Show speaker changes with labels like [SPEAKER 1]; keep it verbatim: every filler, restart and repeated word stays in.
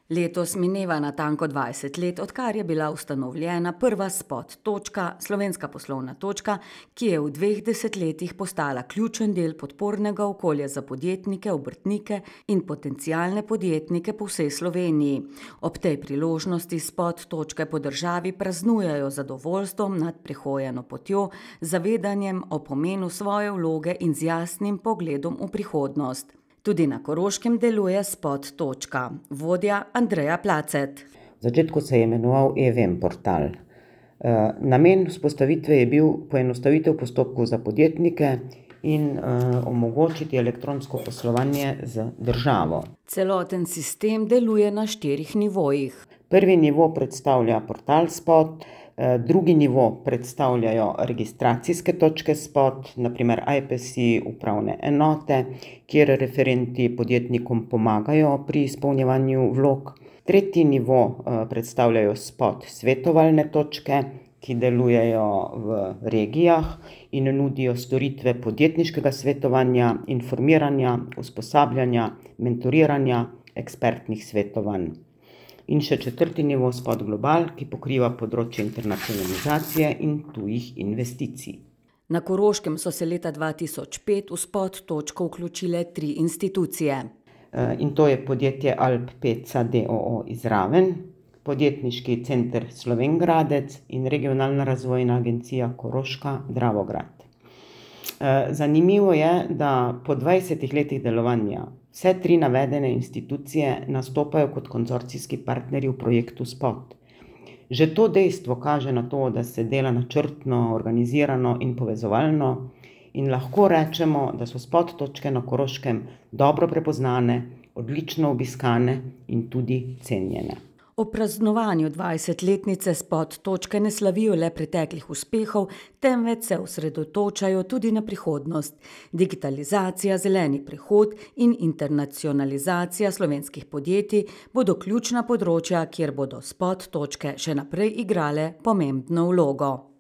[SPEAKER 1] Letos mineva natanko dvajset let, odkar je bila ustanovljena prva Spot točka, slovenska poslovna točka, ki je v dveh desetletjih postala ključen del podpornega okolja za podjetnike, obrtnike in potencialne podjetnike po vsej Sloveniji. Ob tej priložnosti Spot točke po državi praznujejo z zadovoljstvom nad prehojeno potjo, zavedanjem o pomenu svoje vloge in z jasnim pogledom v prihodnost. Tudi na Koroškem deluje Spot točka. Vodja Andreja Placet.
[SPEAKER 2] V začetku se je imenoval e-vem portal. Namen vzpostavitve je bil poenostavitev postopkov za podjetnike in omogočiti elektronsko poslovanje z državo.
[SPEAKER 1] Celoten sistem deluje na štirih nivojih.
[SPEAKER 2] Prvi nivo predstavlja portal Spot, drugi nivo predstavljajo registracijske točke Spot, na primer I P S I, upravne enote, kjer referenti podjetnikom pomagajo pri izpolnjevanju vlog. Tretji nivo predstavljajo Spot svetovalne točke, ki delujejo v regijah in nudijo storitve podjetniškega svetovanja, informiranja, usposabljanja, mentoriranja, ekspertnih svetovanj. In še četrti nivo Spot Global, ki pokriva področje internacionalizacije in tujih investicij.
[SPEAKER 1] Na Koroškem so se leta dva tisoč pet v Spot točko vključile tri institucije.
[SPEAKER 2] In to je podjetje Alp Peca d. o. o. iz Raven, Podjetniški center Slovenj Gradec in Regionalna razvojna agencija Koroška Dravograd. Zanimivo je, da po dvajsetih letih delovanja vse tri navedene institucije nastopajo kot konzorcijski partnerji v projektu Spot. Že to dejstvo kaže na to, da se dela načrtno, organizirano in povezovalno in lahko rečemo, da so Spot točke na Koroškem dobro prepoznane, odlično obiskane in tudi cenjene.
[SPEAKER 1] Ob praznovanju dvajsetletnice Spot točke ne slavijo le preteklih uspehov, temveč se osredotočajo tudi na prihodnost. Digitalizacija, zeleni prehod in internacionalizacija slovenskih podjetij bodo ključna področja, kjer bodo Spot točke še naprej igrale pomembno vlogo.